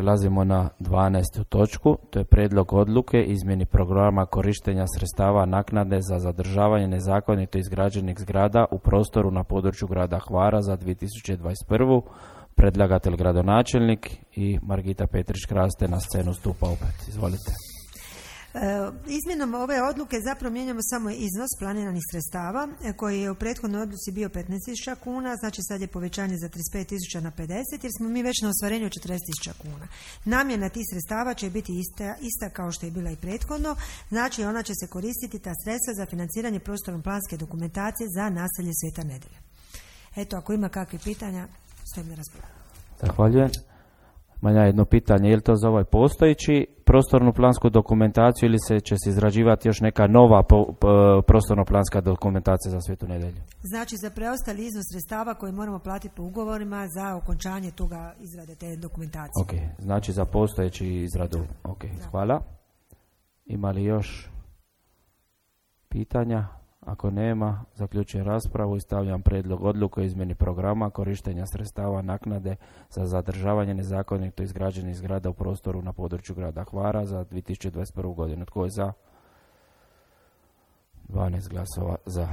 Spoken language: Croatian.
Prelazimo na 12. točku, to je prijedlog odluke izmjeni programa korištenja sredstava naknade za zadržavanje nezakonito izgrađenih zgrada u prostoru na području grada Hvara za 2021. Predlagatelj gradonačelnik i Margita Petrić-Kraste na scenu stupa opet. Izvolite. Izmjenom ove odluke zapravo mijenjamo samo iznos planiranih sredstava koji je u prethodnoj odluci bio 15.000 kuna, znači sad je povećanje za 35.000 na 50 jer smo mi već na ostvarenju 40.000 kuna. Namjena tih sredstava će biti ista kao što je bila i prethodno, znači ona će se koristiti ta sredstva za financiranje prostorno-planske dokumentacije za naselje Sveta Nedelja. Eto, ako ima kakvih pitanja, stojim na raspolaganju. Zahvaljujem. Manja jedno pitanje, je li to za ovaj postojeći prostornu plansku dokumentaciju ili će se izrađivati još neka nova prostorno-planska dokumentacija za Svetu Nedelju? Znači za preostali iznos sredstava koji moramo platiti po ugovorima za okončanje toga izrade te dokumentacije. Ok, znači za postojeći izradu. Ok, hvala. Ima li još pitanja? Ako nema, zaključujem raspravu i stavljam prijedlog odluke o izmjeni programa korištenja sredstava naknade za zadržavanje nezakonito izgrađenih zgrada u prostoru na području grada Hvara za 2021. godinu. Tko je za? 12 glasova za.